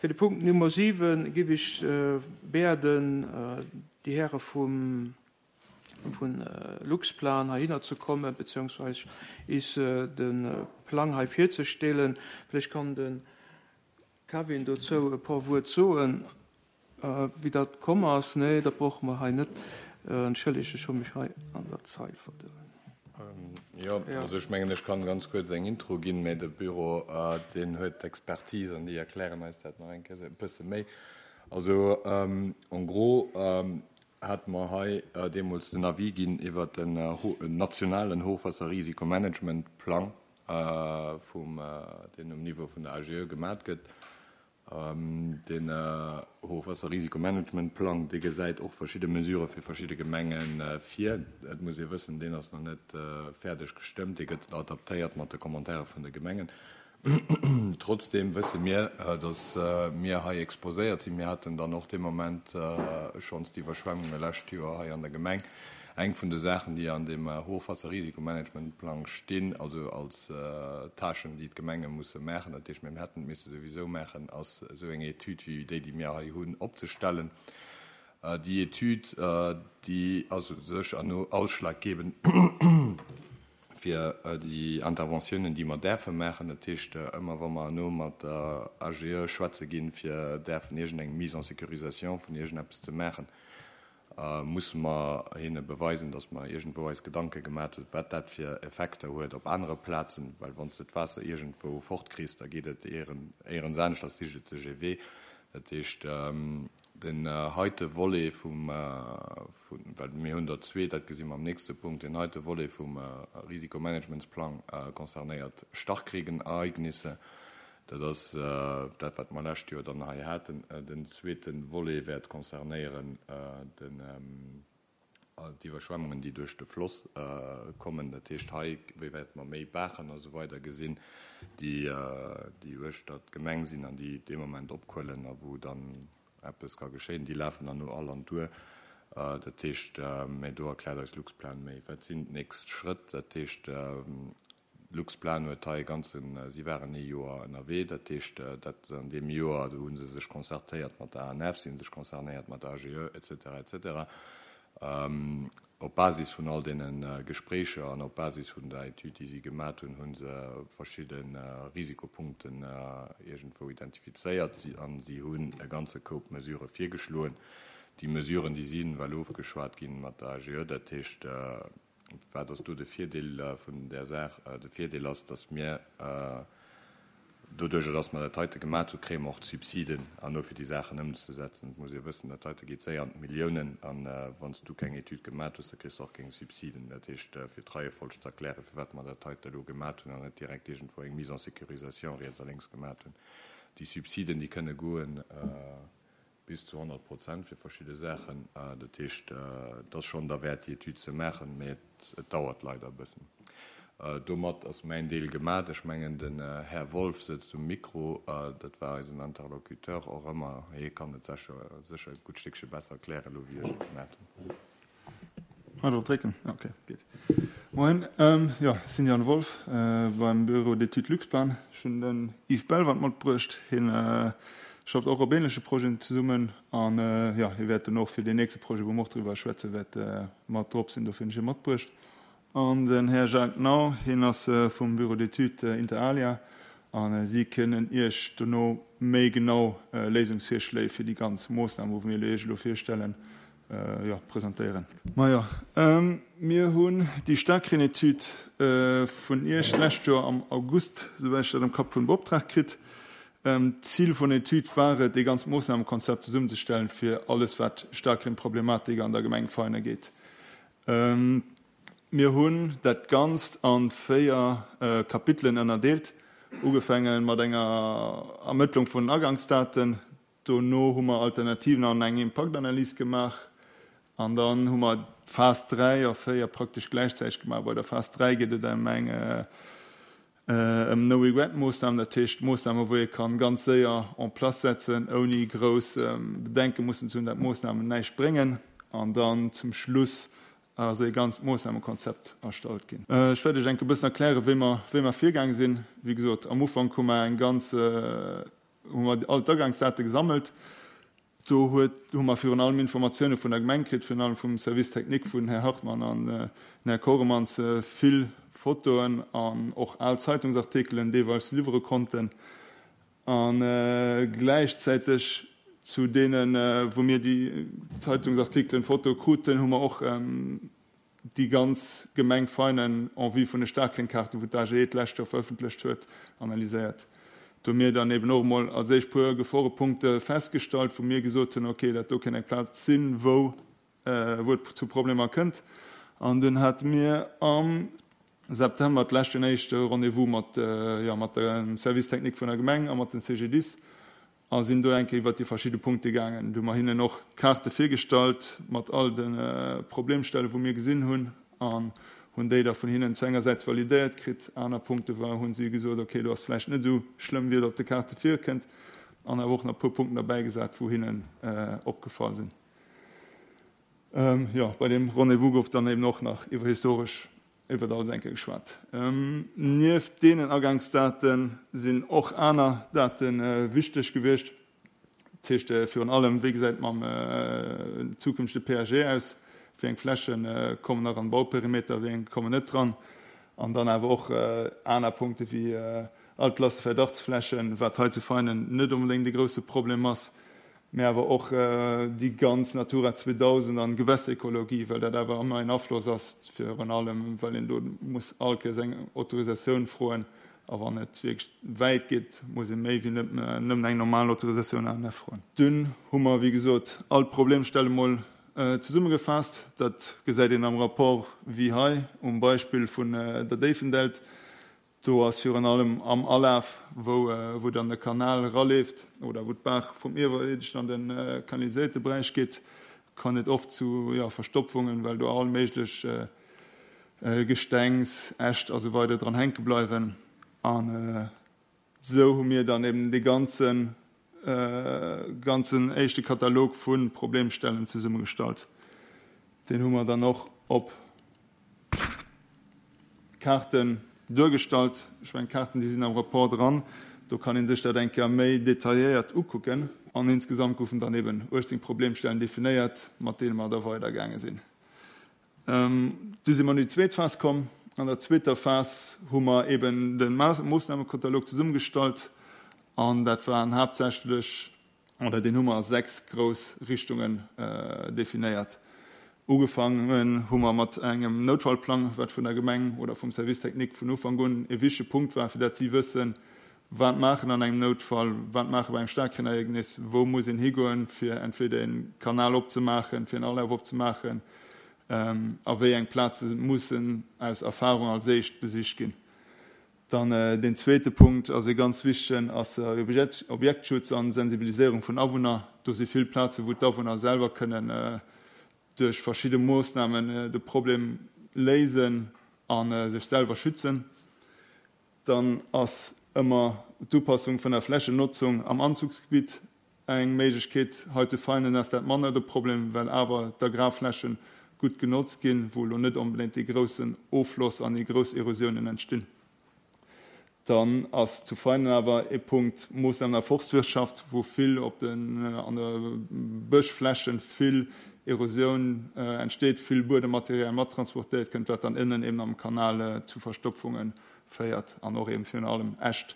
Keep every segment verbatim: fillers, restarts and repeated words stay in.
Fir de Punkt Nummer siwen giff ech bieden, déi Häre vum vun Luxplan heihinner ze kommen, beziehungsweise is de Plang hei virzestellen. Vläicht kann de Kevin dozou e puer Wuert soen, wéi dat komm ass. Nee, dat brauche mer hei net. Entschëllegt, ech hu mech hei an der Zeil verdoen. Jo, also ech mengen, ech kann ganz kuerz eng Intro ginn, mä de Büro, deen huet d'Expertise an déi erklären eis dat nach eng Kéier e bësse méi. Also en gros hate mer hei deemools den Avis ginn iwwert den nationalen Hochwasserrisikomanagementplang, vum, deen um Niveau vun der A G E gemat gëtt. Den Hochwasserrisikomanagementplang, dee gesäit och verschidde Mesurë fir verschidde Gemenge vir. Et muss ee wëssen, deen ass nach net fäerdeg gestëmmt, dee gëtt adaptéiert mat de Commentaire vun de Gemengen. Trotzdeem wësse mir, datt mir hei exposéiert sinn. Mir haten dann och dee Moment schonns d'Iwwerschwemmunge lescht Joer hei an der Gemeng. Eng vun de Saachen, déi an deem Hochwasserrisikomanagementplang stinn, also als Tâchen, déi d'Gemenge musse maachen, dat heescht, mir hätten et misse souwisou maachen, ass esou eng Etüd wéi déi, déi mir hei hunn, opzestellen. Déi Etüd, déi ass u sech herno ausschlaggebend fir déi Interventiounen, déi mer däerfe maachen. Dat heescht, ëmmer wa mer herno mat der A G E schwätze ginn, fir däerfen iergendeng Mise en sécurisation vun iergendeppes ze maachen, musse mer hinne beweisen, datt mer iergendwou eis Gedanke gemat hunn, wat dat fir Effekter huet op anere Plazen, well wann s de d'Waasser iergendwou fortkriss, da geet et éierens anescht, da sicht et sech ee Wee. Dat heescht, den heite Volet vum, well mir hunn der zwee, dat gesi mer am nächste Punkt, deen heite Volet vum Risikomanagementsplang concernéiert Starkregenereignisse. Dat ass dat, wat mer lescht Joer dann hei haten. Den zweete Volet wäert concernéieren d'Iwwerschwemmungen, déi duerch de Floss kommen. Dat heescht, hei wäerte mer méi Baachen a sou weider gesinn, déi uechter d'Gemeng sinn an déi dee Moment opquëllen a wou dann eppes ka geschéien. Déi lafen dann no all an d'Our. Dat heescht, mä do erkläert eis Luxplan méi. Wat sinn d'nächst Schrëtt? Dat heescht, Luxplan huet hei e ganzen, si waren ee Joer ënnerwee, dat heescht, dat an deem Joer, do hu se sech concertéiert mat der A N F, si hu sech concernéiert mat der A G E, et cetera, et cetera. Op Basis vun all deene Gespréicher an op Basis vun der Etüd, déi si gemat hunn, hu se verschidde Risikopunkten iergendwou identifizéiert an si hunn e ganze Koup Mesurë virgeschloen. Déi Mesuren, déi sinn well ofgeschwat ginn mat der A G E, dat heescht, wat ass do de Virdeel vun där Saach? De Virdeel ass, datt mir doduerjer, datt mer dat heite gemat hunn, kréie mer och d'Subsiden herno fir déi Saachen ëmzesetzen. Et muss ee wëssen, dat heite geet séier an d'Milliounen an wann s du keng Etüd gemat hues, da kriss du och keng Subsiden. Dat heescht, fir d'Reiefolg ze erklären, firwat mer dat heite elo gemat hunn an net direkt iergendwou eng Mise en sécurisation riets a lénks gemat hunn. Déi Subsiden, déi kënne goen bis zu honnert Prozent fir verschidde Saachen. Dat heescht, et ass schonn derwäert, déi Etüd ze maachen, mä et dauert leider e bëssen. Domat ass mäin Deel gemat. Ech mengen, den Här Wolff sëtzt um Mikro. Dat war eisen Interlocuteur och ëmmer. Hie kann et sécher, sécher e gutt Stéckche besser erklären elo, wéi ech et gemat hunn. Ah, drop drécken? Ok, geet. Moien, jo, ech sinn Jan Wolff beim Bureau d'études Luxplan. Ech hunn den Yves Bellwand matbruecht. Hien schafft och op ähnleche Projeten zesummen an, jo, hie wäert dann och fir deen nächste Projet, wou mer och driwwer schwätze, wäert mat drop sinn. Dofir hunn ech hie matbruecht. An den Här Jacques Nau, hien ass vum Bureau d'études inter alia a si kënnen Iech dono méi genau Léisungsvirschléi fir déi ganz Moossnamen, wou mir Iech elo virstellen, jo, presentéieren. Majo, mir hunn déi Staarkreen-Etüd vun Iech d'lescht Joer am August, souwäit ech dat am Kapp hunn, beoptraagt kritt. D'Zil vun der Etüd war et, ee ganzt Moossnamekonzept zesummenzestellen, fir alles, wat Staarkreen-Problematik an der Gemeng Vein ugeet. Mir hunn dat Ganzt a véier Kapitelen ënnerdeelt, ugefaange mat enger Ermëttlung vun Agangsdaten. Dono hu mer Alternativen an eng Impaktanalys gemaach. An dann hu mer d'Phas dräi a véier praktesch gläichzäiteg gemaach. Bei der Phas dräi geet et ëm eng ëm No-Regret-Moossnamen, dat heescht Moossnamen, wou ee kann ganz séier en place setzen, ouni grouss Bedenke mussen ze hunn, dat d'Moossnamen näischt bréngen. An dann zum Schluss ass e ganzt Moossnamekonzept erstallt ginn. Ech wäert Iech enk e bëssen erklären, wéi mer, wéi mer virgaange sinn. Wéi gesot, am Ufank hu mer eng ganz hu mer all d'Agangsdate gesammelt. Do huet, hu mer virun allem Informatioune vun der Gemeng kritt, virun allem vum Service technique vun Här Hartmann an den Här Koremans, vill Fotoen an och al Zeitungsartikelen deelweis liwwere konnten. A gläichzäiteg zu deenen, wou mir déi Zeitungsartikelen, Fotoe kruten, hu mer och déi ganz Gemeng Veinen en vue vun de Staarkreenkaarten, wou d'AGE d'lescht Joer verëffentlecht huet, analyséiert. Do hu mir dann eben och emol als éischt puer Geforepunkte festgestallt, wou mir gesot hunn, okay, dat do kéint eng Plaz sinn, wou wou et zu Problemer kënnt. An dunn hate mir am September d'lescht en éischte Rendez-vous mat, jo, mat dem Service technique vun der Gemeng a mat den C G D I S a sinn do eng Kéier iwwert déi verschidde Punkte gaangen. Do hu mer hinnen och d'Kaarte virgestallt mat all de Problemstellen, wou mir gesinn hunn, an hunn déi da vun hinnen zu engersäits validéiert kritt. Aner Punkte war, hu si gesot, okay, do ass vläicht net esou schlëmm, wéi et op de Kaarte virkënnt, an awer och nach e puer Punkten derbäigesat, wou hinnen opgefall sinn. Jo, bei deem Rendez-vous gouf dann eben och nach iwwer historesch iwwer alles eng Kéier geschwat. Nieft deenen Agangsdate sinn och aner Date wichteg gewiescht. Dat heescht virun allem, wéi gesäit et mam zukünftege P A G aus, wéi eng Fläche kommen nach an den Bauperimeter, wéi eng kommen net dran. An dann awer och aner Punkte wéi Altlaste-Verdachtsflächen, wat hei zu Veinen net onbedéngt e grousse Problem ass, mä awer och déi ganz Natura zweedausend an Gewässerekologie, well dat awer ëmmer en Afloss ass, virun allem well een do muss all Kéiers eng Autorisatioun froen a wann et wierklech wäit geet, muss ee méi wéi nëmmen eng normal Autorisatioun A N F froen. Dunn hu mer, wéi gesot, all d'Problemstelle mol zesummegefaasst. Dat gesäit een am Rapport wéi hei um Beispill vun der Déifendelt. Do ass virun allem am Alaf, wou dann de Kanal eraleeft oder wou d'Baach vum Iewerierdegen an de kanaliséierte Beräich geet, kann et oft zu Verstopfungen, well do all méiglech Gestengs, Äscht a sou weider dran hänke bleiwen. An esou hu mir dann eben dee ganzen ganzen éischte Katalog vu Problemstellen zesummegestallt. Deen hu mer dann och op Kaarten duergestallt. Ech mengen, d'Kaarten, déi sinn am Rapport dran. Do kann ee sech dat eng Kéier méi detailléiert ukucken. An insgesamt goufen dann eben uechtzéng Problemstellen definéiert, mat deene mer da weidergaange sinn. Du si mer an déi zweet Phas komm. An der zweeter Phas hu mer eben de Moossnamekatalog zesummegestallt. An dat waren haaptsächlech, oder deen hu mer a sechs grouss Richtungen definéiert. Ugefaangen hu mer mat engem Noutfallplang, wat vun der Gemeng oder vum Service technique vun Ufank un e wichtege Punkt war, fir dat si wëssen, wat maachen an engem Noutfall, wat maache bei engem Staarkreenereegnis, wou muss een higoen, fir entweder e Kanal opzemaachen, fir en Alaf opzemaachen, a wéi eng Plaze mussen aus Erfahrung als éischt besicht ginn. Dann deen zweete Punkt ass e ganz wichtegen, ass Objektschutz an Sensibiliséierung vun Awunner. Do si vill Plazen, wou d'Awunner selwer kënnen duerch verschidde Moossnamen de Problem léisen a sech selwer schützen. Dann ass ëmmer d'Upassung vun der Flächennotzung am Anzugsgebitt eng Méiglechkeet. Hei zu Veinen ass dat manner de Problem, well awer d'Agrarfläche gutt genotzt ginn, wou elo net onbedéngt dee groussen Offloss an déi grouss Erosiounen entstinn. Dann ass zu Veinen awer ee Punkt Moossnamen an der Forstwirtschaft, wou vill op den an de Bëschflächen vill Erosioun entsteet, vill Buedemmaterial mattransportéiert kënnt, wat dann ënnen eben am Kanal zu Verstopfunge féiert an och eben virun allem Äscht,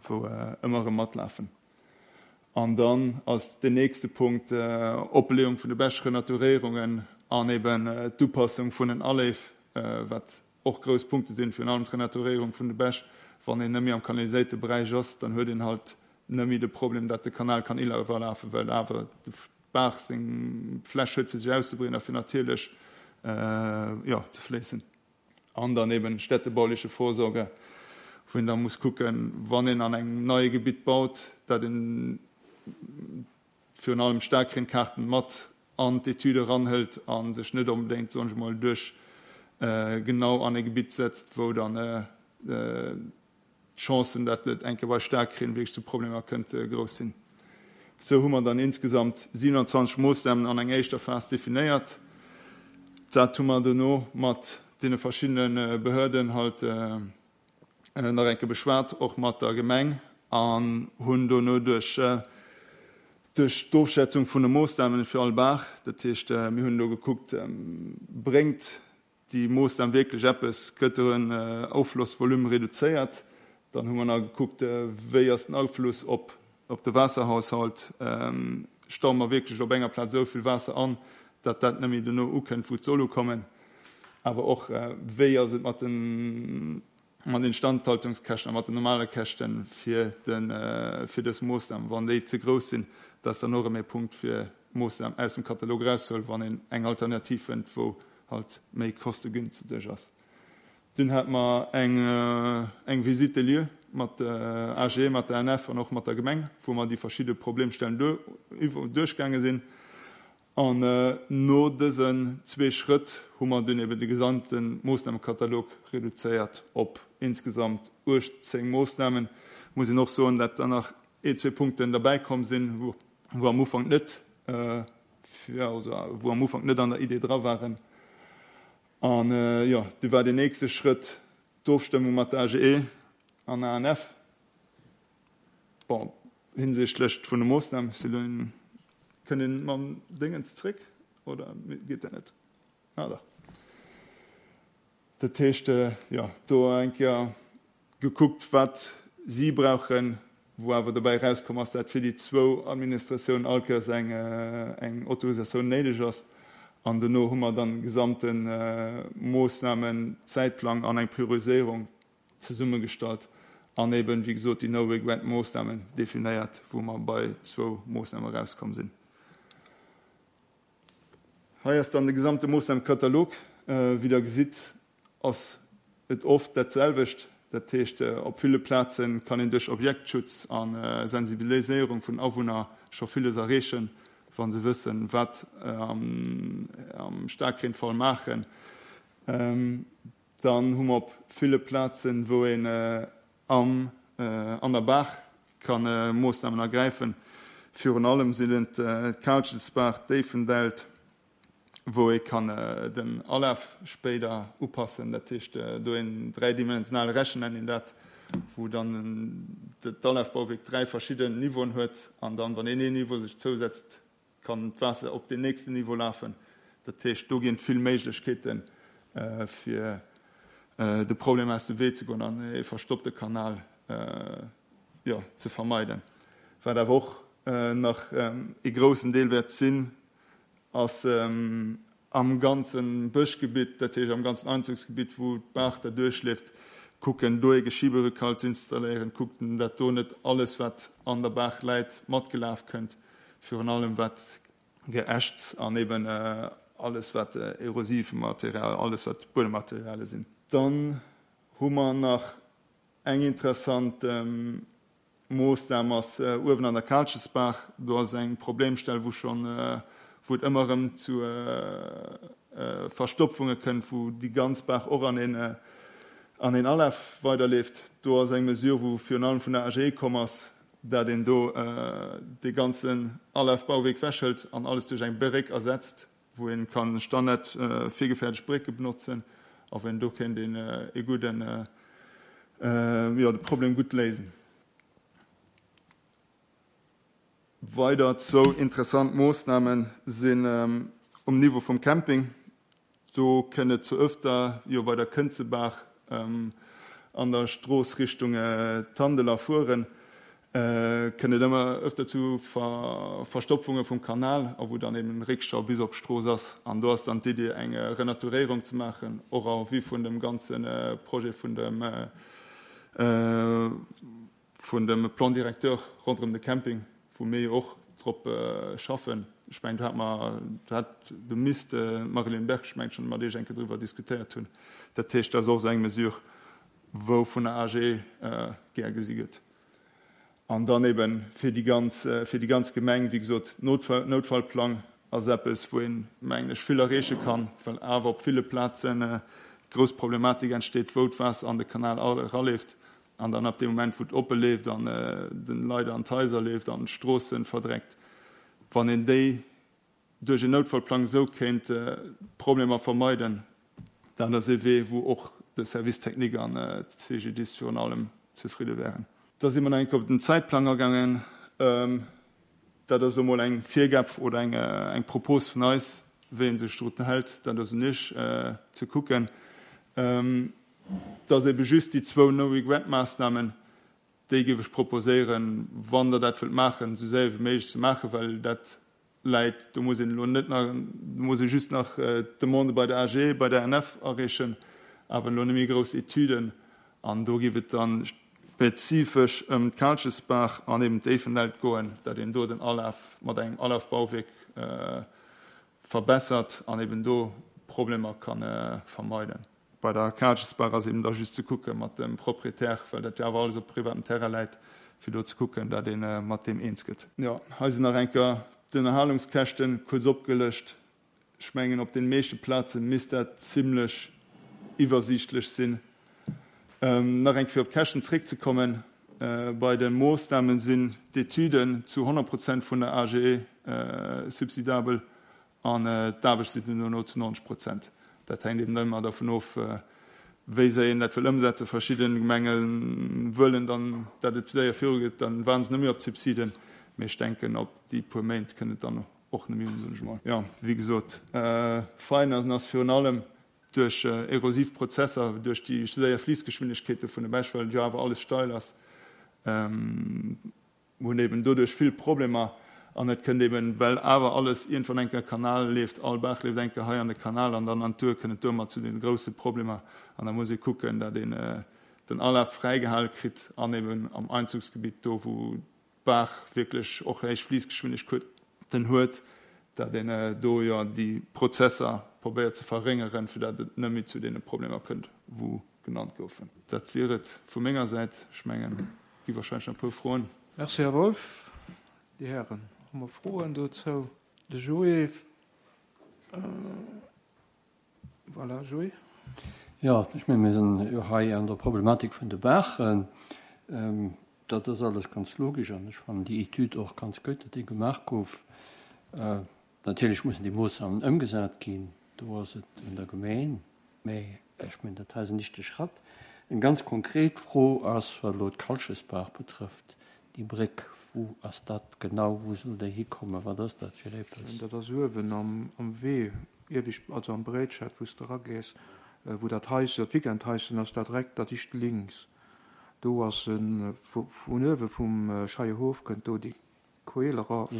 wou ëmmer erëm matlafen. An dann ass den nächste Punkt Opbeleeung vun de Bëschrenaturéierungen an eben d'Upassung vun den Aléif, wat och grouss Punkte sinn, virun allem d'Renaturéierung vun de Bäch. Wann een net méi am kanaliséierte Beräich ass, dann huet een halt net méi de Problem, datt de Kanal kann iwwerlafen, well awer d'Baach seng Fläch huet, fir sech auszebreeden a fir natierlech, jo, ze fléissen. An dann eben städtebauliche Vorsorge, wou een da muss kucken, wann een an engem neie Gebitt baut, datt een virun allem Staarkreenkaarten mat an d'Etüde eranhëlt a sech net onbedéngt, soen ech emol, duerch genau an e Gebitt setzt, wou dann d'Chancen, datt et eng Kéier bei Staarkreen wierklech zu Problemer kënnt, grouss sinn. Esou hu mer dann insgesamt siewenundzwanzeg Moossnamen an enger éischter Phas definéiert. Dat hu mer dono mat deene verschiddene Behörden halt nach eng Kéier beschwat, och mat der Gemeng. an hunn dono duerch duerch d'Ofschätzung vun de Moossnamen fir all Baach, dat heescht mir hunn do gekuckt, bréngt déi Moossnam wierklech eppes, gëtt den Offlossvolume reduzéiert? Dann hu mer nach gekuckt, wéi ass den Afluss op op de Waasserhaushalt, staue mer wierklech op enger Plaz esou vill Waasser an, datt dat net méi dono ukënnt, wou et soll ukommen? Awer och, wéi ass et mat den mat Instandhaltungskäschten a mat den normale Käschte fir de fir dës Moossnam, wann déi ze grouss sinn, dat ass dann och erëm ee Punkt fir d'Moossnam aus dem Katalog erauszehuelen, wann een eng Alternativ fënnt, wou halt méi kostegünstig ass. Dunn hate mer eng eng Visite des lieux mat der A G E, mat der A N F an och mat der Gemeng, wou mer déi verschidde Problemstellen duerchgaange sinn. An no dësen zwee Schrëtt hu mer dunn eben de gesamte Moossnamekatalog reduzéiert op insgesamt uechtzéng Moossnamen. Muss een och soen, dat dann nach ee, zwee Punkten derbäi komm sinn, wou am Ufank net, wou am Ufank net an der Idee dra waren. An, jo, du war deen nächste Schrëtt d'Ofstëmmung mat der A G E an A N F. Bon, hinsichtlech vun de Moossnamen, Céline, kënnt een mam Déngens zréck oder geet dat net? Ah, dach. Dat heescht, jo, do eng Kéier gekuckt, wat si brauchen, wou awer dobäi erauskomm ass, dat fir déi zwou Administratiounen all Kéiers eng, eng Autorisatioun néideg ass. An dono hu mer dann de gesamte Moossnamen-Zäitplang an eng Prioriséierung zesummegestallt an eben, wéi gesot, déi No-Regret-Moossnamen definéiert, wou mer bei zwou Moossname erauskomm sinn. Hei ass dann de gesamte Moossnamekatalog. Wéi Der gesitt, ass et oft dat selwecht. Dat heescht, op ville Plaze kann een duerch Objektschutz a Sensibiliséierung vun Awunner scho villes erreechen, wa se wëssen, wat am Staarkreenfall maachen. Dann hu mer op ville Plazen, wou een am an der Baach ka Moossnamen ergräifen. Virun allem sinn et d'Kaalschelsbaach, d'Déifendelt, wou ee kann den Alaf spéider upassen. Dat heescht, do een dräidimensionale Rechen nennt een dat, wou dann d'Alafbauwierk dräi verschidden Niveauen huet an dann, wann een een Niveau sech zousetzt, kann d'Waasser op deen nächsten Niveau lafen. Dat heescht, do ginn et vill Méiglechkeeten, fir de Problem aus dem Wee ze goen an ee verstoppte Kanal, jo, ze vermeiden. Wat awer och nach ee groussen Deel wäert sinn, ass am ganze Bëschgebitt, dat heescht am ganzen Einzugsgebitt, wou d'Baach da duerchleeft, kucken, do ee Geschieberückhalt ze installéieren, kucken, dat do net alles, wat an der Baach läit, matgelaf kënnt, virun allem wat Geäscht an eben alles, wat erosiv Material, alles, wat Buedemmateriale sinn. Dann hu mer nach eng interessant Moossnam ass uewen an der Kaalchesbaach. Do ass eng Problemstell, wou schonn, wou et ëmmer erëm zu Verstopfunge kënnt, wou déi ganz Baach och an een, an een Alaf weiderleeft. Do ass eng Mesure, wou virun allem vun der A G E komm ass, dat een do dee ganzen Alafbauwierk wechhëlt an alles duerch eng Bréck ersetzt, wou een kann standard virgefäerdegt Brécke benotzen a wou een do kéint een ee gudden, jo, de Problem gutt léisen. Weider zwou interessant Moossname sinn um Niveau vum Camping. Do kënnt et zu öfter, jo bei der Kënzebaach an der Strooss Richtung Tandel erfueren, kënnt et ëmmer öfter zu Verstopfunge vum Kanal a wou dann eben Réckstau bis op d'Strooss ass. An do ass dann d'Iddi eng Renaturéierung ze maachen, och en vue vun dem ganze Projet vun dem vun dem Plan directeur ronderëm de Camping, wou mir jo och drop schaffen. Ech mengen, do hat mer, do hat, do misst d'Marilyn Berg, ech mengen, schonn mat Iech eng Kéier driwwer diskutéiert hunn. Dat heescht, dat ass och esou eng Mesure, wou vun der A G E gär gesi gëtt. An dann eben fir déi ganz, fir déi ganz Gemeng, wéi gesot, Notfall, Noutfallplang ass eppes, wou een, mengen ech, vill erreeche kann, well awer op ville Plazen grouss Problematik entsteet, wou d'Waasser an de Kanal eraleeft an dann ab deem Moment, wou et oppe leeft an den Leit an d'Haiser leeft an d'Stroossen verdreckt. Wann een déi duerch een Noutfallplang esou kéint d'Problemer vermeiden, dat ass ee Wee, wou och de Service technique an d'C G D I S virun allem zefridde wären. Da si mer nach eng Kéier op den Zäitplang agaangen. Dat ass elo mol eng Virgab oder eng, eng Propos vun eis, wéi ee sech drun hält, dat ass un Iech ze kucken. Et ass ebe just déi zwou No-Regret-Maassnamen, déi géif ech proposéieren, wann Der dat wëllt maachen, esou séier wéi méiglech ze maachen, well dat läit, do muss een elo net nach, do muss ee just nach d'Demande bei der A G E, bei der N F areechen, awer elo net méi grouss Etüden. An do géif et dann spezifesch ëm d'Kaalchesbaach an eben d'Éifenelt goen, datt een do den Alaf mat engem Alafbauwierk verbessert an eben do Problemer ka vermeiden. Bei der Kaalchesbaach ass eben da just ze kucke mat dem Proprietär, well dat jo awer alles op privatem Terrain läit, fir do ze kucken, datt ee mat deem eens gëtt. Jo, hei sinn nach eng Kéier d'Ënnerhalungskäschte kuerz opgelëscht. Ech mengen, op den meeschte Plaze misst dat zimlech iwwersiichtlech sinn. Nach eng Kéier fir op d'Käschten zréckzekommen, Bei de Moossname sinn d'Etüden zu honnert Prozent vun der A G E subsidabel an d'Aarbecht sinn dono zu neunzeg Prozent. Dat hänkt eben ëmmer dervun of, wéi séier een dat wëll ëmsetzen. Verschidde Gemenge wëllen dann, datt et séier virugeet, dann waarden se net méi op d'Subsiden. Mee ech denken, op déi puer Méint kënnt et dann och net méi un, soen ech emol. Jo, wéi gesot, Fein ass virun allem duerch erosiv Prozesser, duerch déi séier Fliissgeschwindegkeete vun de Bäch, well et jo awer alles steil ass, hunn eben doduerch vill Problemer. An et kënnt eben, well awer alles iergendwann eng Kéier Kanal leeft, all Baach leeft eng Kéier hei an de Kanal an dann an d'Our, kënnt et domat zu deene grousse Problemer. An da muss ee kucken, datt een den Alaf fräigehale kritt an eben am Einzugsgebitt, do wou d'Baach wierklech och héich Fliissgeschwindegkeeten huet, datt een do jo déi Prozesser probéiert ze verréngeren, fir datt et net méi zu deene Problemer kënnt, wou genannt goufen. Dat wier et vu menger Säit. Ech mengen, et gi wahrscheinlech nach e puer Froen. Merci, Här Wolff. Déi Hären, hu mer Froen dozou? De Joé, voilà, Joé. Jo, ech mengen, mir sinn jo hei an der Problematik vun de Baachen. Dat ass alles ganz logesch an ech fannen déi Etüd och ganz gutt, datt déi gemaach gouf. Natierlech mussen déi Moossnamen ëmgesat ginn, do ass et un der Gemeng, mä ech mengen, dat hei ass en éischte Schratt. Eng ganz konkret Fro ass, wat elo d'Kalchesbaach betrëfft, déi Bréck, wou ass dat genau, wou soll déi hikommen, wat ass dat fir eppes? Dat ass uewen am Wee, iewescht, also am Bréitschett, wou s de eragees, wou dat Haischen, dat Weekendhaischen ass, dat direkt dat éischt links. Do ass e vun uewe vum Scheierhof kënnt do déi Queel eraf,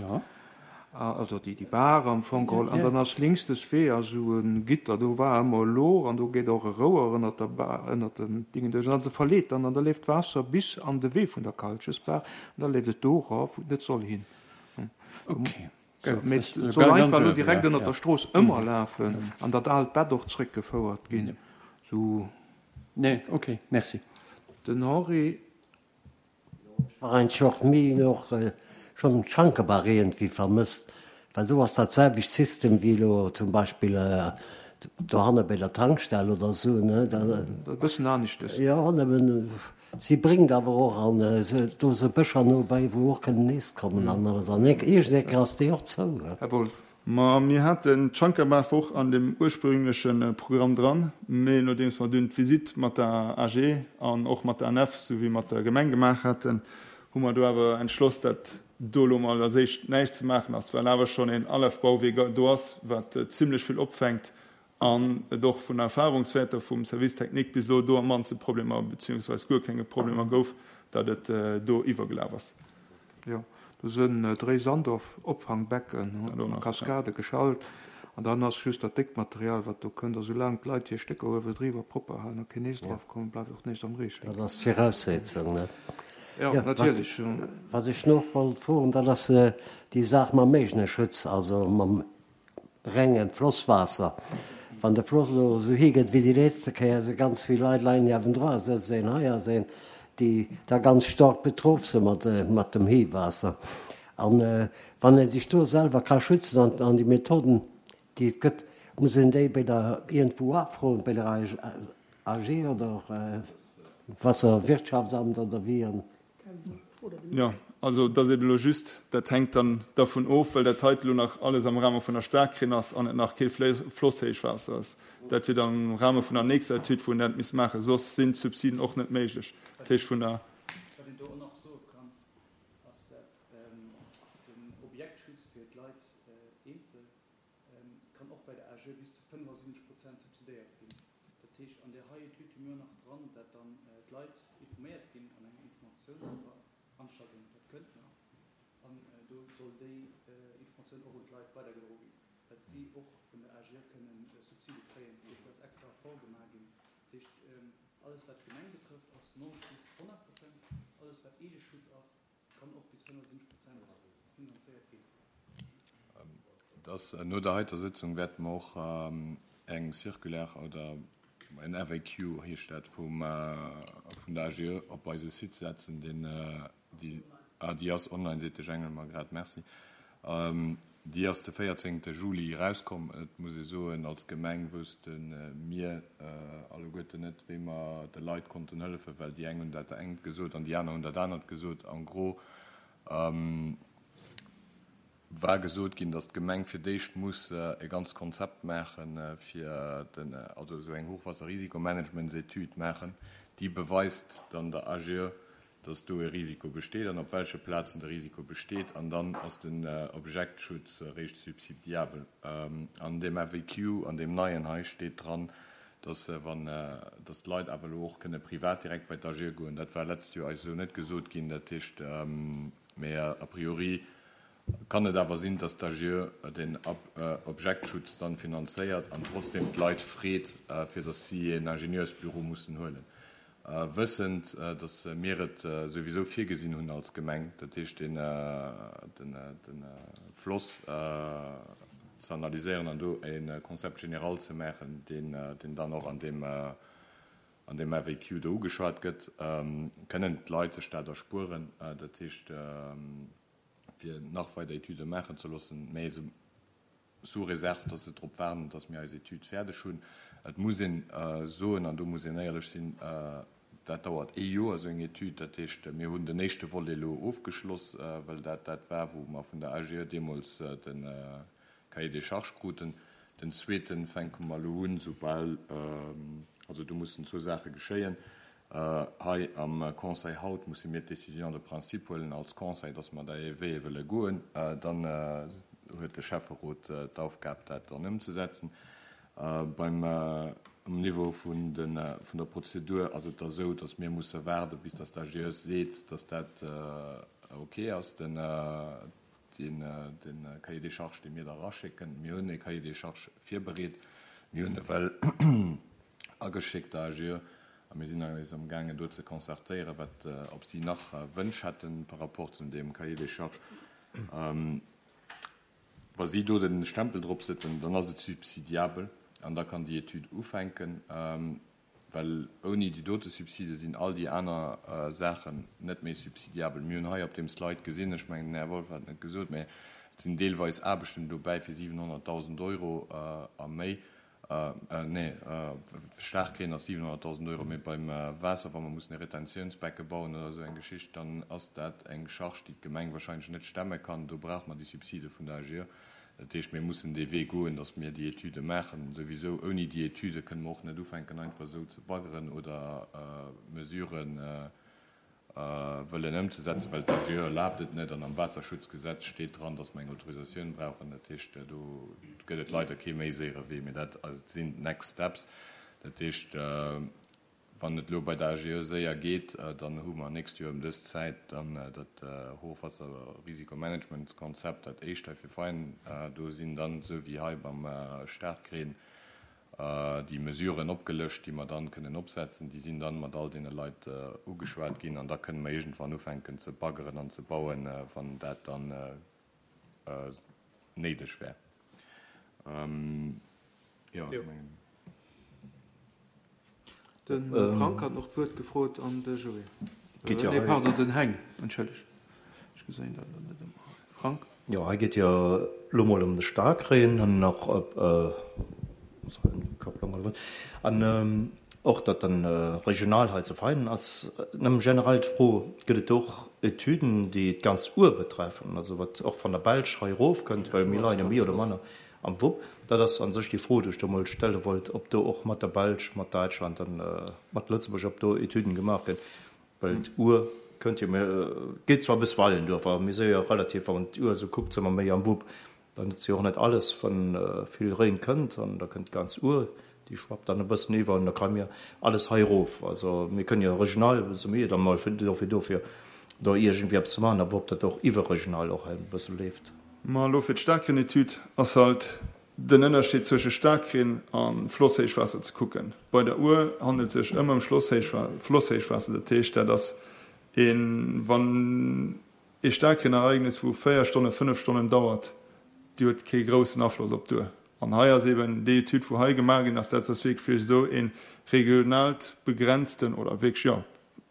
also déi déi Baach am Fong geholl, an dann ass links des Wee ass esou e Gitter, do war ëmmer e Louch an do geet och e Rouer ënnert der Baach, ënnert dem Dingen duerch, an se verleet dann an da leeft d'Waasser bis an de Wee vun der Kalchesbaach an da leeft et do eraf, wou et net soll hin. Okay. Mee et soll einfach elo direkt ënnert der Strooss ëmmer lafen an dat aalt Bett och zréckgefouert ginn. Sou. Nee, okay, merci. Den Henri. Ech war eigentlech och méi och schonn d'Schankebaach iergendwéi vermësst, well do ass dat selwecht System wéi elo zum Beispill dohanne bei der Tankstell oder esou, ne. Dat e bëssen aneschtes. Jo, nëmmen si bréngt awer och an do sou Bëscher no bei, wou och kënnen nees kommen an alles. An iergendeng ass déi och zou. Här Wolff. Ma mir haten d'Schankerbaach och an dem ursprüngleche Programm dran, mee nodeems mer dunn d'Visitt mat der A G E an och mat der A N F souwéi mat der Gemeng gemaach haten, hu mer do awer entschloss, dat do elo mol als éischt näischt ze maachen ass, well awer schonn een Alafbauwierk do ass, wat zimlech vill opfänkt an et och vun Erfahrungswäerter vum Service technique bis elo do am mannste Problemer beziehungsweis guer kenge Problemer gouf, datt et do iwwergelaf ass. Jo, do sënn dréi Sandopfangbecken a Kaskade geschalt an dann ass just dat déckt Material, wat do kënnt. A soulaang d'Leit hir Stécker uewe driwwer propper halen a keen nees draf kommen, bleift och näischt am Ree Dat ass d'Viraussetzung, ne? Jo, natierlech. Wat ech nach wollt froen, dat ass déi Saach mam Méigneschutz, also mam renge Flosswaasser. Wann de Floss elo esou higëtt wéi déi letzte Kéier, esou ganz vill Leit leien niewendra, sëtzt een hei ass een, déi da ganz staark betroff si mat, mat dem Héiwaasser. An wann ee sech do selwer ka schützen an, an déi Methoden, déi et gëtt, muss een déi bei der iergendwou afroen, bei der A G oder Wasserwirtschaftsamt oder wéi? An Jo, also et ass eben elo just, dat hänkt dann dervun of, well dat heite elo nach alles am Rahme vun der Staarkrinn ass an et nach kee Flosshéichwaasser ass. Dat wier dann am Rahme vun der nächster Etüd, wou een dat misst maachen. Soss sinn d'Subsiden och net méiglech. Dat heescht vun der. Wat een do och nach Eegeschutz fir d'Leit eenzel kann och bei der AGE bis zu fënnefasiwwenzeg Prozent subsidéiert ginn. Dat heescht, an där hei Etüd hu mir och nach dran, dat dann d'Leit informéiert ginn an enger Informatiounsveranstaltung, dat kënnt nach, an do soll déi Informatioun och un d'Leit weidergedroe ginn, dat si och vun der AGE kënnen Subside kréien. Dofir ass extra Effort gemaach ginn. Dat heescht, alles wat d'Gemeng betrëfft, ass Non-Schutz honnert Prozent, alles wat Eegeschutz ass, kann och bis fënnefasiwwenzeg Prozent finanzéiert ginn. Dass no der heiter Sëtzung wäerte mer och eng Circulaire oder en F A Q heescht dat vum vun der A G E op eise Site setzen, deen déi ah déi ass online, seet de Jengel mer grad, merci. Déi ass de véierzéngte Juli erauskomm. Et muss ee soen, als Gemeng wousste mir alleguerten net, wéi mer de Leit konnten hëllefen, well déi eng hunn dat engt gesot an déi aner hunn dat anert gesot. En gros war gesot ginn, datt d'Gemeng fir d'éischt muss e ganzt Konzept maachen, fir den, also esou eng Hochwasserrisikomanagementsetüd maachen, déi beweist dann der A G E, datt do e Risiko besteet an op welche Plazen de Risiko besteet, an dann ass den Objektschutz eréischt subsidiabel. An deem F A Q, an deem neien hei, steet dran, datt wann, datt d'Leit awer elo och kënne privat direkt bei d'A G E goen. Dat war letzt Joer eis esou net gesot ginn. Dat heescht, mä a priori kann et awer sinn, datt d'A G E den Objektschutz dann finanzéiert an trotzdem d'Leit freet, fir datt si en Ingenieursbüro mussen huelen. Wëssend, datt mir et souwisou virgesinn hunn als Gemeng, dat heescht den, den, den Floss ze analyséieren an do e Concept général ze maachen, deen, deen dann och an deem, an deem F A Q do ugeschwat gëtt, kënnen d'Leit sech dat erspueren, dat heescht fir nach weider Etüde maachen ze loossen, mä se sous réserve, dass se drop waarden, dass mir eis Etüd fäerdeg hunn. Et muss een soen, an do muss een éierlech sinn, dat dauert ee Joer, esou eng Etüd. Dat heescht, mir hunn den éischte Volet elo ofgeschloss, well dat dat war, wou mer vun der A G E deemools de Cahier des charges kruten. Den zweeten fänke mer elo un, soubal, also do mussen zwou Saache geschéien. Hei am Conseil haut musse mir d'Décision de principe huelen als Conseil, dass mer dee Wee wëlle goen. Dann huet de Schäfferot d'Aufgab, dat dann ëmzesetzen. Beim um Niveau vun den, vun der Prozedur ass et da sou, dass mir musse waarde bis dass d'A G E seet, dass dat ok ass, den, den, den Cahier des charges, dee mir da eraschécken. Mir hunn e Cahier des charges virbereet. Mir hunn e well ageschéckt der A G E a mir sinn eis am gaangen do ze concertéieren, wat, ob si nach Wënsch hätten par rapport zu deem Cahier des charges. Wa si do den Stempel drop setzen, dann ass et subsidiabel an da kann déi Etüd ufänken, well ouni déi dote Subside sinn all déi aner Saachen net méi subsidiabel. Mir hunn hei op deem Slide gesinn, ech mengen den Här Wolff hat et net gesot, mä et sinn deelweis Aarbechten dobäi fir siwenhonnertdausend Euro a méi, nee, Staarkreen ass siwenhonnertdausend Euro, mee beim Waasser, wa mer mussen e Retentiounsbecke bauen oder esou eng Geschicht, dann ass dat eng Charge, déi d'Gemeng wahrscheinlech net stemme kann. Do brauche mer déi Subside vun der A G E. Dat heescht, mir mussen dee Wee goen, datt mir déi Etüde maachen. Souwisou ouni déi Etüde kënne mer och net ufänken, einfach esou ze baggeren oder Mesuren wëllen ëmzesetzen, well d'A G E erlaabt et net an am Waasserschutzgesetz steet dran, datt mer eng Autorisatioun brauchen. Dat heescht, do gëtt et leider kee méi séiere Wee, mee dat sinn d'Next Steps. Dat heescht, wann et elo bei der A G E séier geet, dann hu mer nächst Joer ëm dës Zäit dann dat Hochwasserrisikomanagementkonzept, dat éischt hei fir Vein. Do sinn dann, esou wéi hei beim Staarkreen, déi Mesuren opgelëscht, déi mer dann kënnen opsetzen. Déi sinn dann mat all deene Leit ugeschwat ginn an da kënne mer iergendwann ufänken ze baggeren an ze bauen, wann dat dann néideg wär. Jo, ech mengen. De Frank hat nach d'Wuert gefrot an de Joé. Geet jo Nee, hei. pardon, den Heng, entschëllegt. Ech gesinn dat elo net ëmmer. Frank? Jo, hei geet jo elo mol ëm de Staarkreen an nach op Kopplung oder wat. An och datt dann regional hei ze feinen ass. Nëmme generell d'Fro, gëtt et och Etüden, déi d'ganz Our betreffen, also wat och van der Belsch hei erofkënnt, well mir leien jo méi oder manner am Wupp. Dat ass an sech déi Fro, déi ech do mol stelle wollt, ob do och mat der Belsch, mat Däitschland an mat Lëtzebuerg, ob do Etüden gemaach ginn, well d'Our kënnt jo, mir geet zwar bis Weilenduerf, awer mir si jo relativ, wann een d'Our esou kuckt, si mer méi am Wupp. Dann nëtzt jo och net alles, wann vill Reen kënnt, an da kënnt d'ganz Our, déi schwappt dann e bëssen iwwer an da kréie mir alles hei erof. Also mir kënnen jo regional, si mir jo dann mol fir dofir do, fir do iergendwéi eppes ze maachen, awer ob dat och iwwerregional och e bësse leeft. Ma elo fir d'Staarkreen-Etüd ass halt den Ënnerscheed zwësche Staarkreen a Flosshéichwaasser ze kucken. Bei der Our handelt sech ëmmer ëm Flosshéichwaasser, dat heescht dat ass een, wann ee Staarkreenereignis wou véier Stonnen, fënnef Stonnen dauert, déi huet kee groussen Afloss op d'Our. An hei ass eben déi Etüd, wou hei gemaach ginn ass, dat ass wierklech esou ee regionaalt begrenzten oder wierklech, jo,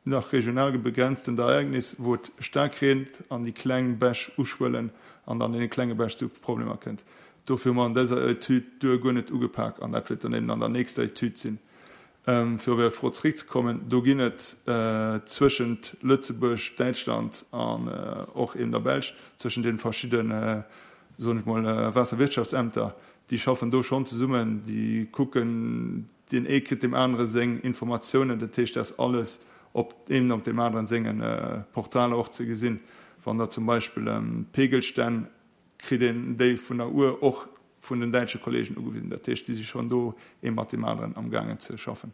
nach regional begrenztent Ereignis, wou et staark reent an déi kleng Bäch uschwëllen an dann an deene klenge Bäch zu Problemer kënnt. Dofir hu mer an dëser Etüd d'Our guer net ugepak an dat wäert dann eben an der nächster Etüd sinn. Fir op Är Fro zeréckzekommen, do ginn et zwëschent Lëtzebuerg, Däitschland an och eben der Belsch, zwëschent deene verschidde, soen ech mol, Waasserwirtschaftsämter, déi schaffen do schonn zesummen, déi kucken, deen ee kritt deem anere seng Informatiounen, dat heescht, dat ass alles op een op deem aneren senge Portaler och ze gesinn. Wann der zum Beispill Pegelstänn kritt een déi vun der Our och vun den däitsche Kollegen ugewisen. Dat heescht, déi si schonn do ee mat deem aneren amgaangen ze schaffen.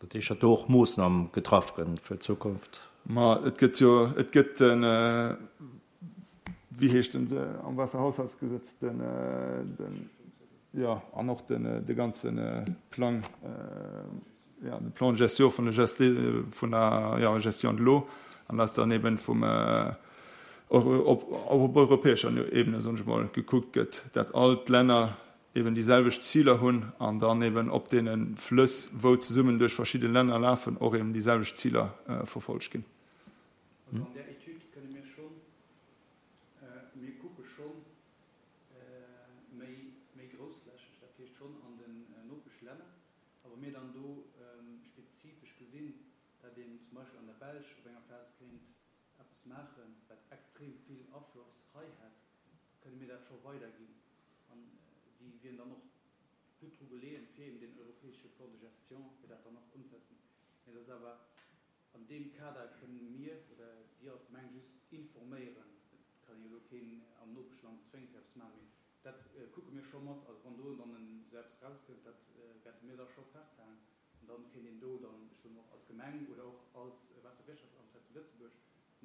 Dat heescht, datt do och Moossname getraff gënn fir d'Zukunft? Ma et gëtt jo, et gëtt den, wéi heescht en am Waasserhaushaltsgesetz, den, den, jo, an och den, de ganze Plang, jo, de Plan de gestion vun der, vun der, jo, Gestion de l'eau, an dass dann eben vum, och op europäescher Ebene, soen ech emol, gekuckt gëtt, dat all d'Länner eben déi selwecht Ziler hunn an dann eben op deene Flëss, wou zesummen duerch verschidde Länner lafen, och eben déi selwecht Ziler verfolgt ginn. Also an där Etüd kënne mir schonn, mir kucke schonn méi, méi groussflächeg, dat heescht schonn an den Nopeschlänner, a wa mir dann do spezifesch gesinn, dat een zum Beispill an der Belsch op enger Plaz kéint eppes maachen, wat extrem vill Afloss hei hätt, kënne mir dat scho weiderginn. A si wieren dann och gutt dru geleeën, fir eben deen europäesche Plan de gestion, fir dat dann och ëmzesetzen. Mä et ass awer an deem Kader kënne mir oder Dir als Gemeng just informéieren. Et kann ee jo elo keen am Nopeschland zwéngen, fir eppes ze maachen, mee dat kucke mir scho mat. Also wann do dann esou eppes erauskënnt, dat wäerte mir da scho festhalen. An dann kéint een do dann, ech soen och als Gemeng oder och als Waasserwirtschaftsamt hei zu Lëtzebuerg,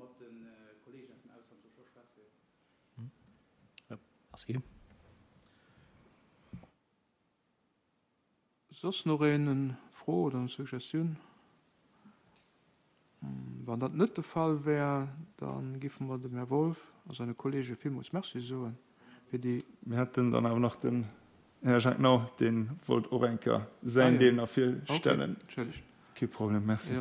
mat de Kollegen aus dem Ausland do scho schwätzen. Merci. Soss nach een eng Fro oder eng Suggestioun? Wann dat net de Fall wär, da géife mer dem Här Wolff a seine Kollege villmools Merci soen fir déi. Mir hätten dann awer nach den Här Jacques Nau, dee wollt och eng Kéier säin Deel nach virstellen. Kee Problem, merci.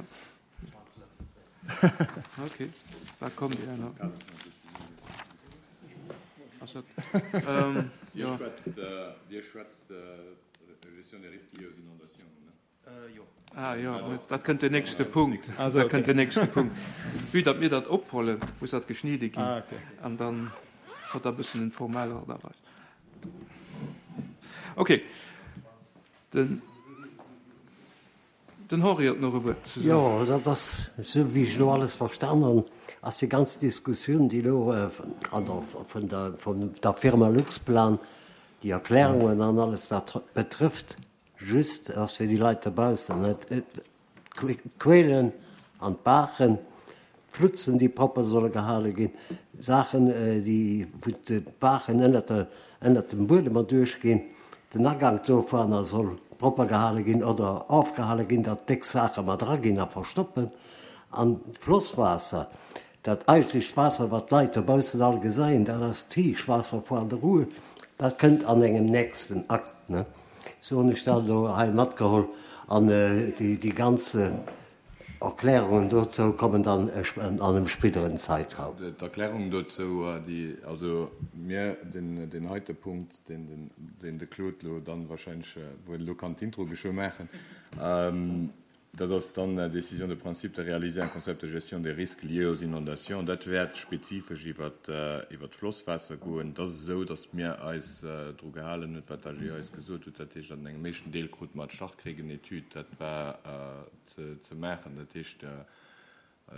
Dir schwätzt Gestion des risques liés aux inondations, ne? Ah jo, dat kënnt den nächste Punkt. Dat kënnt den nächste Punkt. Vue datt mir dat ophollen, muss dat geschnidde ginn an dann huet dat e bëssen en formell Art a Weis. Okay. Den, den Henri huet nach e Wuert ze soen. Jo, dat ass, esou wéi ech elo alles verstan hunn, ass déi ganz Diskussioun, déi elo an der, vun der, vun der Firma Luxplan, déi Erklärungen an alles, dat betrëfft Just ass fir déi Leit dobaussen, net d'Quellen an d'Baachen, d'Flutzen, déi propper solle gehale ginn, Saachen, déi wou d'Baachen ënnert der, ënnert dem Buedem erduerch ginn, den Agank dovunner soll propper gehale ginn oder ofgehale ginn, datt déck Saache mat eraginn a verstoppen. An d'Flosswaasser, dat eigentlecht Waasser, wat d'Leit dobaussen all gesäien, dat ass d'Héichwaasser vu an der Ruhr, dat kënnt an engem nächsten Akt, ne? Sou hunn ech dat elo hei matgeholl an déi ganz Erklärungen dozou kommen dann an engem spéideren Zeitraum. D'Erklärungen dozou, déi, also mir, deen heite Punkt, deen de Claude elo dann wahrscheinlech, wou en elo kann d'Intro geschwë maachen, Dat ass dann décision de principe de réaliser un concept de gestion des risques liés aux inondations. Dat wäert spezifesch iwwer d'Flosswaasser goen. Et ass esou, datt mir eis dru gehalen hunn, wat d'AG eis gesot huet. Dat heescht, an engem éischten Deel krute mer d'Starkregenetüd, dat war ze maachen. Dat heescht,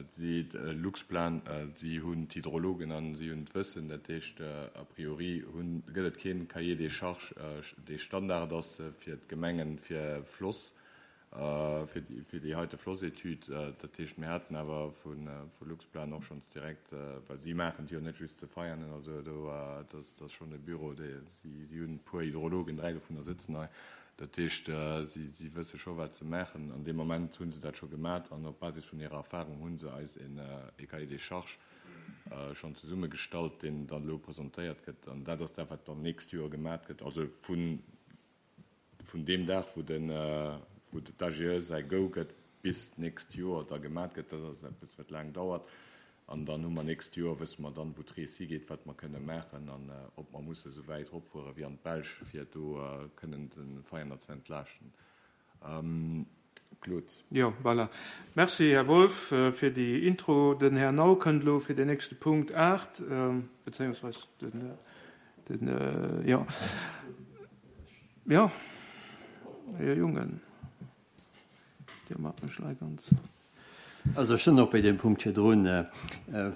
Si, Luxplan, si hunn d'Hydrologen an si hunn d'Wëssen. Dat heescht, a priori hunn, gëtt et kee Cahier des charges, dee Standard ass fir d'Gemengen, fir Floss, fir déi, fir déi heite Flossetüd. Dat heescht, mir haten awer vu Luxplan och schonns direkt, well si maachen et jo net just ze Veianen, also do, dat ass schonn e Büro, dee, si hunn e puer Hydrologen, dräi dovunner sëtzen hei. Dat heescht, si wësse scho wat se maachen. An deem Moment hu se dat scho gemat an op Basis vun hirer Erfahrung hu se eis en Cahier des charges schonn zesummegestallt, deen dann elo presentéiert gëtt. An dat ass dat, wat dann d'nächst Joer gemat gëtt. Also vun deem Dag, wou d'AGE säi Go gëtt, bis d'nächst Joer da gemat gëtt. Dat ass eppes, wat laang dauert. An dann hu mer nächst Joer, wësse mer dann, wou d'Rees higeet, wat mer kënne maachen an ob mer musse esou wäit eropfuere wéi an d'Belsch, fir do kënnen de Veiener ze entlaaschten. Claude. Jo, voilà. Merci, Här Wolff, fir déi Intro. Den Här Nau kënnt elo fir den nächste Punkt aacht, bezéiungsweis den, den, jo, jo, Här Jungen, Dir maacht mech lei ganz. Also ech sinn och bei deem Punkt virdrun,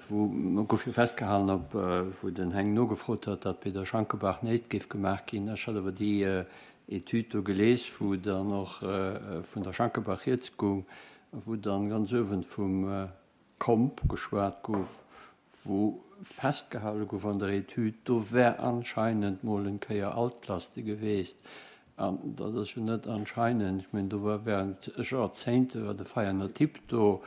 wou gouf jo festgehalen, op wou den Heng nogefrot huet, datt bei der Schankebaach näischt géif gemaach ginn. Ech hat awer déi Etüd do gelies, wou dann och vun der Schankebaach rieds goung, wou dann ganz uewen vum Komp geschwat gouf, wou festgehale gouf an der Etüd, do wär anscheinend mol en Kéier Altlaste geweest. An dat ass jo net anscheinend, ech mengen, do war während Joerzéngte war de Veianer Tipp do,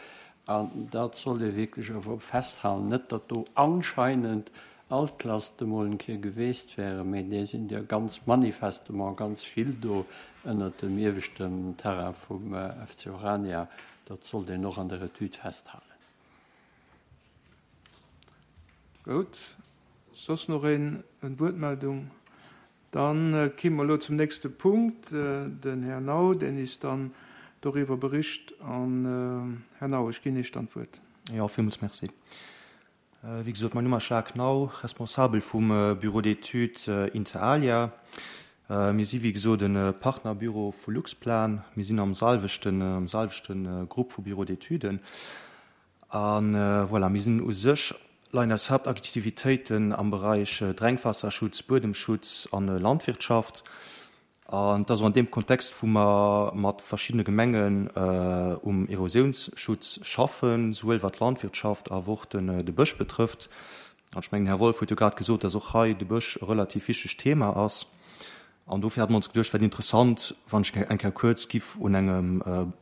an dat soll ee wierklech awer festhalen, net datt do anscheinend Altlaste mol eng Kéier geweest wären, mee déi sinn der ganz manifestement ganz vill do ënnert dem ieweschten Terrain vum F C Orania. Dat sollt een och an der Etüd festhalen. Gutt. Soss nach een, eng Wuertmeldung? Dann kommen wir elo zum nächsten Punkt. Den Herr Nau, den ist dann darüber bericht. An, Herr Nau, ich gebe Ihnen dann d'Wuert. Ja, villmools merci. Wéi gesot, mein Numm ass Jacques Nau, responsabel vum Bureau d'études Inter Alia. Mir si wéi gesot e Partnerbüro vu Luxplan. Mir sinn am selwechten, am selwechten Grupp vu Bureau d'études. An voilà, mir sinn u sech leien eis Hauptaktivitéiten am Bereich Drénkwaasserschutz, Buedemschutz an Landwirtschaft. An dat ass och an deem Kontext, wou mer mat verschiddene Gemengen um Erosiounsschutz schaffen, souwuel wat d'Landwirtschaft awer och de Bësch betrëfft. An ech mengen, Här Wolff huet jo grad gesot, dass och hei de Bësch e relativ wichtegt Thema ass. An dofir hat mer ons geduecht, wär et interessant, wann ech eng Kéier kuerz giff un engem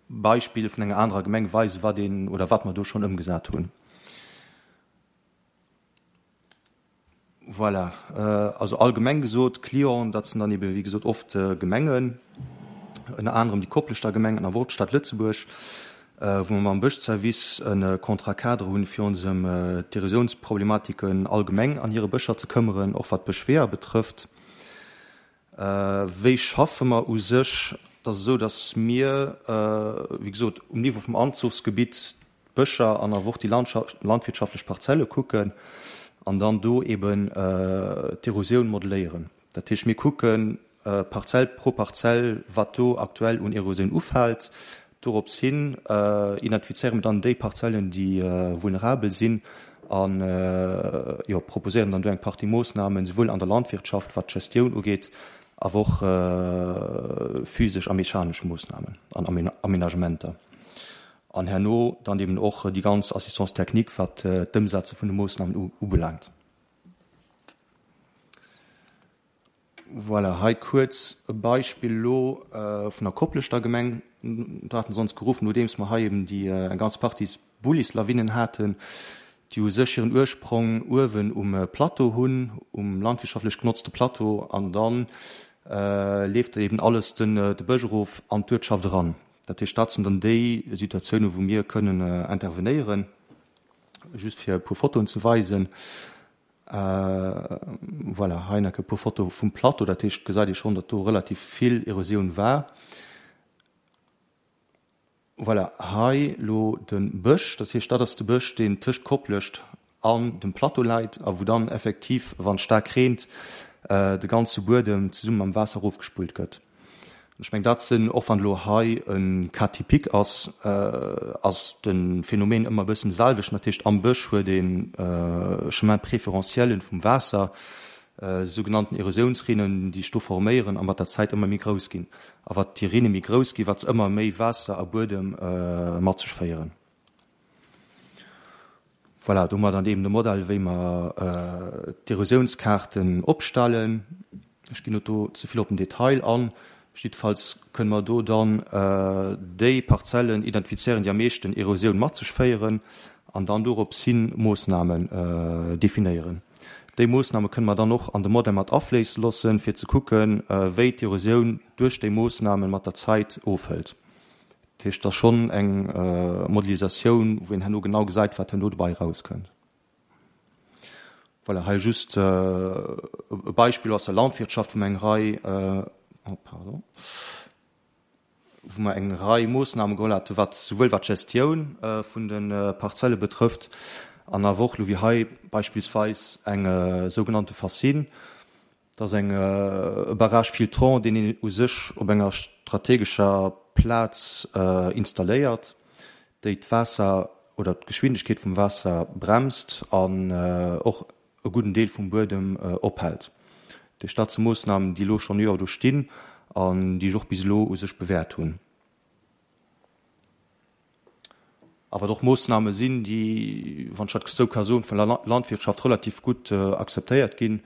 Beispill vun enger anerer Gemeng weisen, wat een oder wat mer do schonn ëmgesat hunn. Voilà. Also allgemeng gesot, Clienten, dat sinn dann ebe wéi gesot oft Gemengen, ënner anerem déi Kopleschter Gemeng an awer och d'Stad Lëtzebuerg, wou mer mam Bëschservice e Contrat cadre hunn, fir ons ëm d'Erosionsproblematiken allgemeng an hire Bëscher ze këmmeren, och wat d'Bëschweeër betrëfft. Wéi schaffe mer u sech? Et ass esou, datt mir, wéi gesot, um Niveau vum Anzuchsgebitt d'Bëscher an awer och déi landwirtschaftlech Parzelle kucken an dann do eben d'Erosioun modelléieren. Dat heescht, mir kucken Parzell pro Parzell, wat do aktuell un Erosioun ufält. Dorops hin identifizéiere mir dann déi Parzellen, déi vulnerabel sinn an, jo, proposéieren dann do eng Partie Moossnamen, souwuel an der Landwirtschaft, wat d'Gestioun ugeet, awer och physesch a mechanesch Moossnamen an Aménagementer. An herno dann eben och déi ganz Assistance technique, wat d'Ëmsetze vun de Moossnamen ubelaangt. Voilà, hei kuerz e Beispill elo vun der Kopleschter Gemeng. Do haten se ons geruff, nodeems mer hei eben déi eng ganz Partie Bullislawinen haten, déi u sech hiren Ursprong uewen um Plateau hunn, um landwirtschaftlech genotzte Plateau, an dann leeft eben alles den de Bësch erof an d'Uertschaft eran. Dat heescht, dat sinn dann déi Situatiounen, wou mir kënnen intervenéieren. Just fir e puer Fotoen ze weisen. Voilà, hei nach e puer Fotoe vum Plateau. Dat heescht, gesäit ee schonn, datt do relativ vill Erosioun war. Voilà, hei elo de Bësch. Dat heescht, dat ass de Bësch, deen tëscht Koplescht an dem Plateau läit a wou dann effektiv, wann et staark reent, de ganze Buedem zesumme mam Waasser erofgespullt gëtt. Ech mengen, dat sinn, och wann elo hei e Cas typique ass, ass de Phänomen ëmmer e bëssen de selwechten. Dat heescht, am Bësch huet ee Chemin préférentiel vum Waasser, sougenannten Erosiounsrinnen, déi sech do forméieren a mat der Zäit ëmmer méi grouss ginn. A wat déi Rinne méi grouss ginn, wat se ëmmer méi Waasser a Buedem mat sech féieren. Voilà, do hu mer dann eben de Modell, wéi mer d'Erosiounskaarten opstellen. Ech ginn net do ze vill op den Detail an. Jiddefalls kënne mer do dann déi Parzellen identifizéieren, déi am meeschten Erosioun mat sech féieren an dann dorops hin Moossnamen definéieren. Déi Moossname kënne mer dann och an de Modell mat afléisse loossen, fir ze kucken, wéi d'Erosioun duerch déi Moossname mat der Zäit ofhëlt. Dat heescht, et ass schonn eng Modelisatioun, wou een herno genau gesäit, wat herno dobäi erauskënnt. Voilà, hei just e Beispill aus der Landwirtschaft, wou mer eng Rei, oh pardon, wou mer eng Rei Moossname geholl haten, wat souwuel wat d'Gestioun vun de Parzelle betrëfft, an awer och elo wéi hei beispillsweis eng sougenannte Fascine. Dat ass eng e Barrage filtrant, deen een u sech op enger strategescher Plaz installéiert, déi d'Waasser oder d'Geschwindegkeet vum Waasser bremst an och e gudden Deel vum Buedem ophält. Déi dat si Moossnamen, déi elo schonn Joer do stinn an déi sech och bis elo u sech bewäert hunn. A wat och Moossname sinn, déi, wann ech dat esou ka soen, vun der Landwirtschaft relativ gutt akzeptéiert ginn,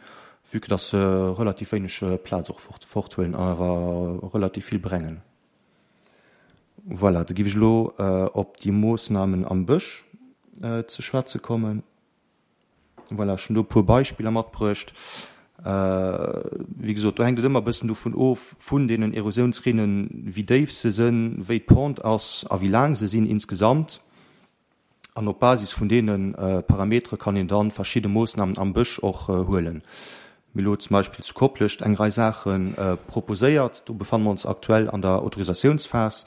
vue que dass se relativ wéineg Plaz och forthuelen an awer relativ vill brengen. Voilà, da géif ech elo op déi Moossnamen am Bësch ze schwätze kommen. Voilà, ech hunn do e puer Beispiller matbruecht. Wéi gesot, do hänkt et ëmmer e bëssen dovun of, vun deenen Erosiounsrinnen, wéi déif se sinn, wéi d'Pente ass a wéi laang se sinn insgesamt. An op Basis vun deene Parametere kann een da verschidde Moossnamen am Bësch och huelen. Mir hu lo zum Beispill zu Koplescht eng Rei Saache proposéiert. Do befanne mer ons aktuell an der Autorisatiounsphas.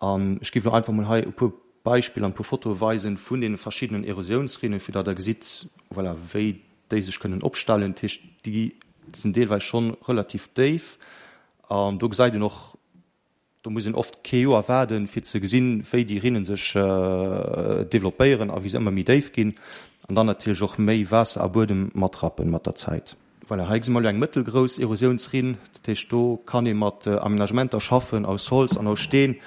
An ech géif elo einfach mol hei e puer Beispiller an e puer Fotoe weisen vun deene verschiddenen Erosiounsrinnen, fir datt Der gesitt, voilà, wéi déi sech kënnen opstellen. Dat heescht, déi sinn deelweis schonn relativ déif. An do gesäit een och, do muss een oft kee Joer waarden, fir ze gesinn, wéi déi Rinnen sech developpéieren a wéi se ëmmer méi déif ginn an dann natierlech och méi Waasser a Buedem matrappen mat der Zäit. Voilà, hei gesi mer elo eng mëttelgrouss Erosiounsrinn. Dat heescht, do kann ee mat Aménagementer schaffen aus Holz an aus Steen,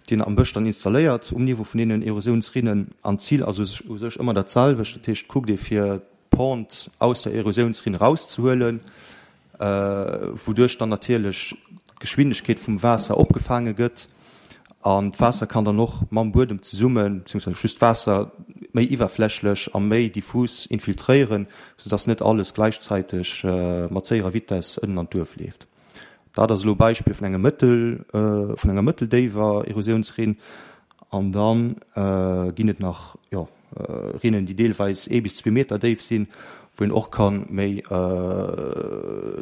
déi een am Bësch dann installéiert um Niveau vun deenen Erosiounsrinnen. An d'Zil ass u sech ëmmer dat selwecht. Dat heescht, kuckt ee fir d'Pente aus der Erosiounsrinn erauszehuelen, wouduerch dann natierlech d'Geschwindegkeet vum Waasser opgefaange gëtt an d'Waasser kann dann och mam Buedem zesummen, beziehungsweise just d'Waasser méi iwwerflächlech a méi diffus infiltréieren, soudass net alles gläichzäiteg mat séierer Vitess ënnen an d'Duerf leeft. Dat ass elo e Beispill vun engem mëttel, vun enger mëtteldéiwer Erosiounsrinn. An da ginn et nach, jo, Rinnen, déi deelweis ee bis zwee Meter déif sinn, wou een och ka méi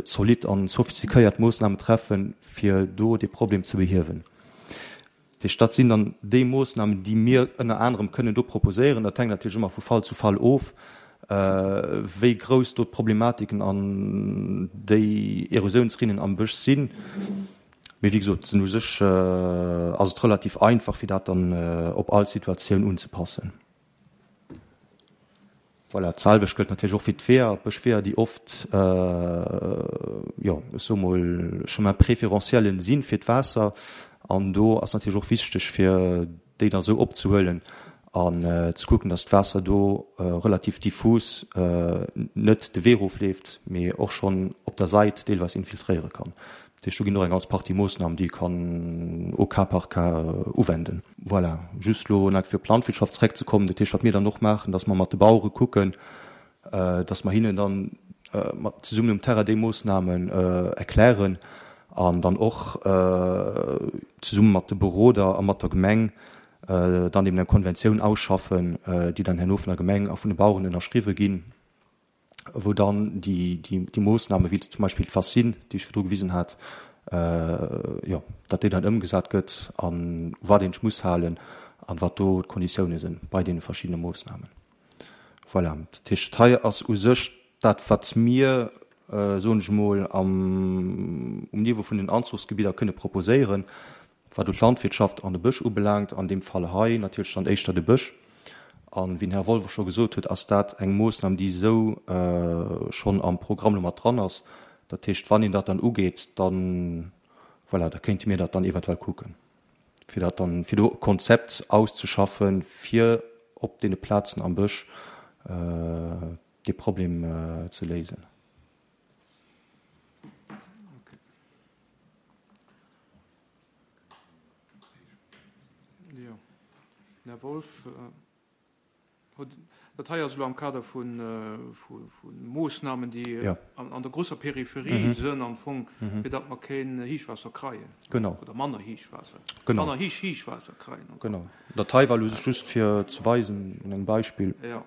zolidd an sophistiquéiert Moossnamen treffen, fir do dee Problem ze behiewen. Dat heescht, dat sinn dann déi Moossnamen, déi mir ënner anerem kënnen do proposéieren. Dat hänkt natierlech ëmmer vu Fall zu Fall of, wéi grouss do d'Problematiken an déi Erosiounsrinnen am Bësch sinn. Mee wéi gesot, u sech ass et relativ einfach, fir dat dann op all Situatioun unzepassen. Voilà, d'selwecht gëllt natierlech och fir d'Weeër, d'Bëschweeër, déi oft, jo, ech soe mol, Chemin préférentiel si fir d'Waasser. An do ass natierlech och wichteg, fir déi da sou opzehuelen an ze kucken, dass d'Waasser do relativ diffus net de Wee erofleeft, mee och schonn op der Sait deelweis infiltréiere kann. Dat heescht, do ginn och eng ganz Partie Moossnamen, déi ee kann au cas par cas uwenden. Voilà, just elo nach fir op d'Landwirtschaft zeréckzekommen, dat heescht, wat mir dann och maachen, dass mer mat de Bauere kucken, dass mer hinnen dann mat zesummen um Terrain déi Moossnamen erklären an dann och zesumme mat de Beroder a mat der Gemeng dann eben eng Konventioun ausschaffen, déi dann herno vun der Gemeng a vun de Baueren ënnerschriwwe ginn, wou dann déi Moossnamen, wéi zum Beispill d'Fascine, déi ech virdru gewisen hat, jo, datt déi dann ëmgesat gëtt a wat een sech muss halen an wat do d'Konditioune sinn bei deene verschiddene Moossnamen. Voilà, dat heescht, hei ass u sech dat, wat mir soen ech emol, am, um Niveau vun den Anzuchsgebidder kënne proposéieren, wat elo d'Landwirtschaft an de Bësch ubelaangt, an deem Fall hei natierlech dann éischter de Bësch. A wéi den Här Wolff och scho gesot huet, ass dat eng Moossnam, déi esou schonn am Programm elo mat dran ass. Dat heescht, wann een dat dann ugeet, dann, voilà, da kéinte mir dat dann eventuell kucken, fir dat dann, fir do e Konzept auszeschaffen, fir op deene Plazen am Bësch dee Problem ze léisen. Jo, den Här Wolff huet, dat hei ass elo am Kader vu Moossnamen, déi an der grousser Peripherie sënn am Fong, fir datt mer keen Héichwaasser kreien. Genau. Oder manner Héichwaasser. Genau. Manner héich Héichwaasser kreien. Genau. Dat hei war elo just fir ze weisen un engem Beispill. Jo.